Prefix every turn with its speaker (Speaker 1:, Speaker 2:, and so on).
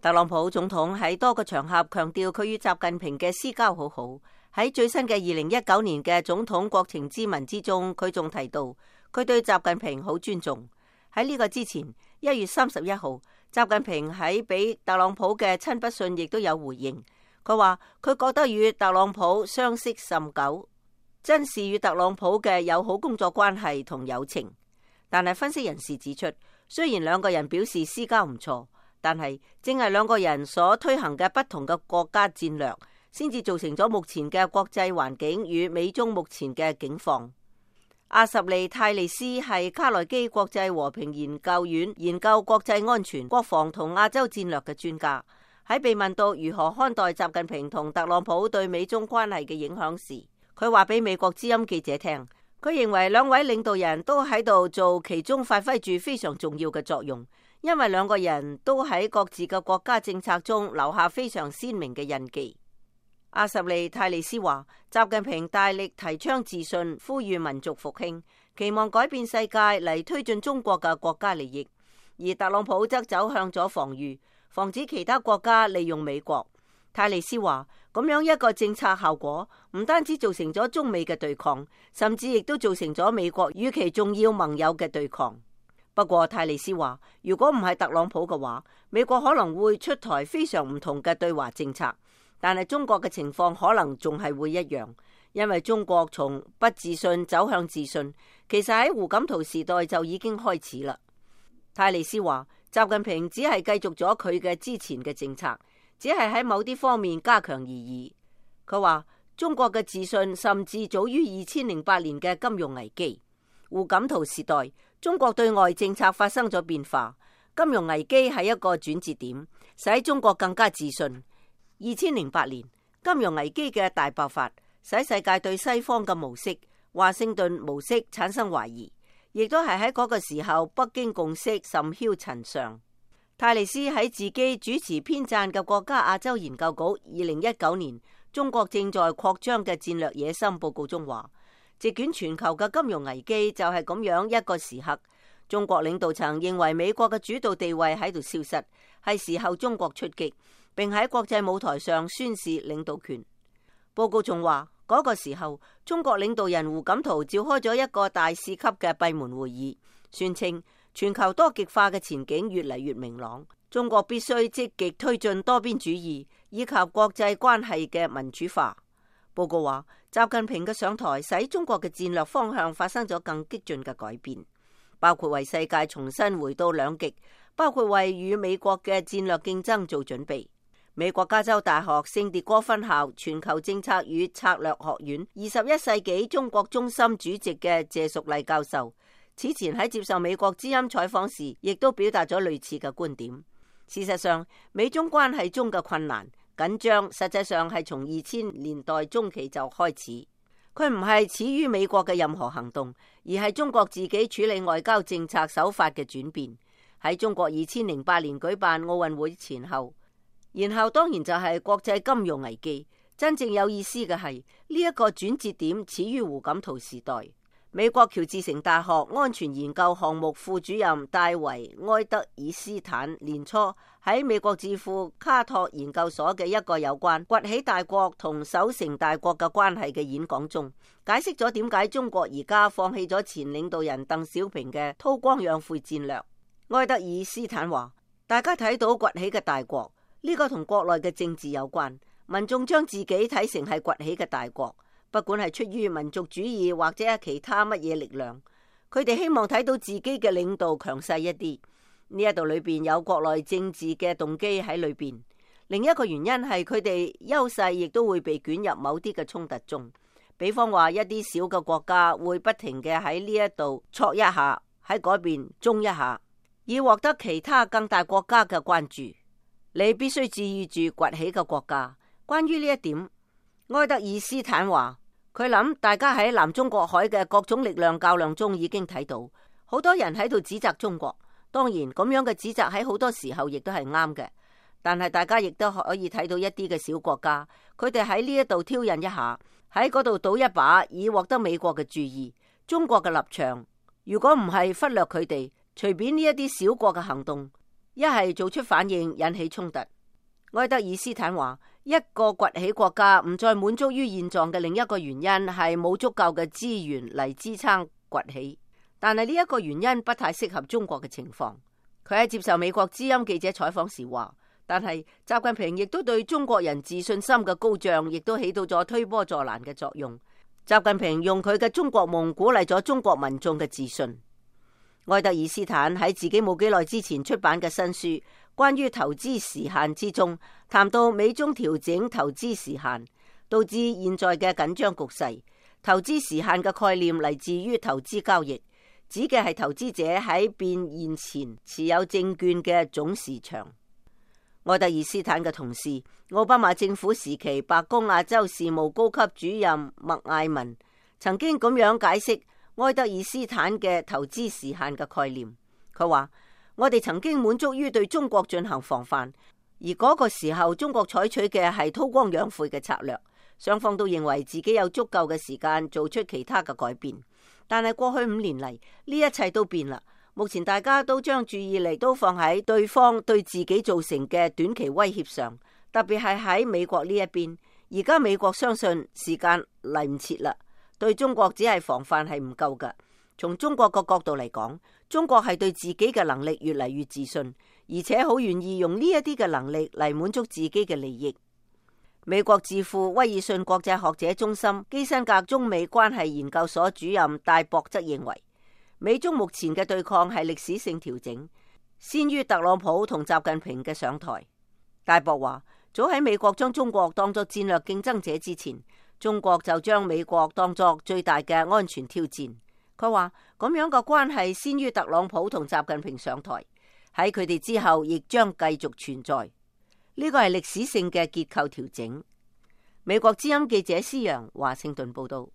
Speaker 1: 特朗普總統喺多個場合強調佢與習近平嘅私交好好。喺最新嘅2019年嘅總統國情咨文之中，佢仲提到佢對習近平好尊重。喺呢個之前，1月31號，習近平喺俾特朗普嘅親筆信亦都有回應。佢話佢覺得與特朗普相識甚久，珍視與特朗普嘅友好工作關係同友情。但係分析人士指出，雖然兩個人表示私交唔錯，但係正係兩個人所推行嘅不同嘅國家戰略，先至造成咗目前嘅國際環境與美中目前嘅境況。阿什利泰利斯係卡內基國際和平研究院研究國際安全、國防同亞洲戰略嘅專家。喺被問到如何看待習近平同特朗普對美中關係嘅影響時，佢話俾美國之音記者聽，佢認為兩位領導人都喺度做其中發揮住非常重要嘅作用，因為兩個人都喺各自嘅國家政策中留下非常鮮明嘅印記。阿什利泰利斯話，習近平大力提倡自信，呼籲民族復興，期望改變世界嚟推進中國嘅國家利益，而特朗普則走向咗防禦，防止其他國家利用美國。泰利斯話，咁樣一個政策效果唔單止造成咗中美嘅對抗，甚至亦都造成咗美國與其重要盟友嘅對抗。不過泰利斯話，如果唔係特朗普嘅話，美國可能會出台非常唔同嘅對華政策。但係中國嘅情況可能仲係會一樣，因為中國從不自信走向自信，其實喺胡錦濤時代就已經開始啦。泰利斯話，習近平只係繼續咗佢嘅之前嘅政策，只係喺某啲方面加強而已。佢話中國嘅自信甚至早於2008年嘅金融危機。胡錦濤時代，中國對外政策發生咗變化，金融危機係一個轉折點，使中國更加自信。2008年金融危機嘅大爆發，使世界對西方嘅模式、華盛頓模式產生懷疑，亦都係喺嗰個時候北京共識甚囂塵上。泰利斯喺自己主持編撰嘅國家亞洲研究局2019年中國正在擴張嘅戰略野心報告中話，席捲全球嘅金融危機就係咁樣一個時刻，中國領導層認為美國嘅主導地位喺度消失，係時候中國出擊，並喺國際舞台上宣示領導權。報告仲話，嗰個時候中國領導人胡錦濤召開咗一個大使級嘅閉門會議，宣稱全球多極化嘅前景越嚟越明朗，中國必須積極推進多邊主義以及國際關係嘅民主化。報告話，習近平嘅上台使中國嘅戰略方向發生咗更激進嘅改變，包括為世界重新回到兩極，包括為與美國嘅戰略競爭做準備。美國加州大學聖迭戈分校全球政策與策略學院21世紀中國中心主席嘅謝淑麗教授，此前喺接受美國之音採訪時，亦都表達咗類似嘅觀點。事實上，美中關係中嘅困難緊張，實際上係從2000年代中期就開始。佢唔係始於美國嘅任何行動，而係中國自己處理外交政策手法嘅轉變。喺中國2008年舉辦奧運會前後，然後當然就係國際金融危機。真正有意思嘅係呢一個轉折點始於胡錦濤時代。美國喬治城大學安全研究項目副主任戴維埃德爾斯坦年初喺美國智庫卡托研究所嘅一個有關崛起大國同守成大國嘅關係嘅演講中，解釋咗點解中國而家放棄咗前領導人鄧小平嘅韜光養晦戰略。埃德爾斯坦話，大家睇到崛起嘅大國，呢個同國內嘅政治有關，民眾將自己睇成係崛起嘅大國，不管係出於民族主義或者係其他乜嘢力量，佢哋希望睇到自己嘅領導強勢一啲。呢一度裏邊有國內政治嘅動機喺裏邊，另一個原因係佢哋優勢亦都會被捲入某啲嘅衝突中。比方話一啲小嘅國家會不停嘅喺呢一度挫一下，喺嗰邊中一下，以獲得其他更大國家嘅關注。你必須注意住崛起嘅國家。關於呢一點，埃德爾斯坦話，佢諗大家喺南中國海嘅各種力量較量中已經睇到，好多人喺度指責中國。當然咁樣嘅指責喺好多時候亦都係啱嘅，但係大家亦都可以睇到一啲嘅小國家，佢哋喺呢一度挑釁一下，喺嗰度賭一把，以獲得美國嘅注意。中國嘅立場如果唔係忽略佢哋，隨便呢一啲小國嘅行動，一係做出反應引起衝突。愛德爾斯坦話，一個崛起國家唔再滿足於現狀嘅另一個原因係冇足夠嘅資源嚟支撐崛起，但係呢一個原因不太適合中國嘅情況。佢喺接受美國之音記者採訪時話，但係習近平亦都對中國人自信心嘅高漲亦都起到咗推波助瀾嘅作用。習近平用佢嘅中國夢鼓勵咗中國民眾嘅自信。愛德爾斯坦喺自己冇幾耐之前出版嘅新書關於投資時限之中，談到美中調整投資時限導致現在嘅緊張局勢。投資時限嘅概念嚟自於投資交易，指嘅係投資者喺變現前持有證券嘅總市場。愛德爾斯坦嘅同事，奧巴馬政府時期白宮亞洲事務高級主任麥艾文曾經咁樣解釋愛德爾斯坦嘅投資時限嘅概念。佢話，我哋曾經滿足於對中國進行防範，而嗰個時候中國採取嘅係韜光養晦嘅策略，雙方都認為自己有足夠嘅時間做出其他嘅改變。但係過去5年嚟，呢一切都變啦。目前大家都將注意力都放喺對方對自己造成嘅短期威脅上，特別係喺美國呢一邊。而家美國相信時間嚟唔切啦，對中國只係防範係唔夠㗎。從中國個角度嚟講，中國係對自己嘅能力越嚟越自信，而且好願意用呢一啲嘅能力嚟滿足自己嘅利益。美國智庫威爾遜國際學者中心基辛格中美關係研究所主任戴博則認為，美中目前嘅對抗係歷史性調整，先於特朗普同習近平嘅上台。戴博話，早喺美國將中國當作戰略競爭者之前，中國就將美國當作最大嘅安全挑戰。佢話，咁樣嘅關係先於特朗普同習近平上台，喺佢哋之後亦將繼續存在。呢個係歷史性嘅結構調整。美國之音記者施洋華盛頓報道。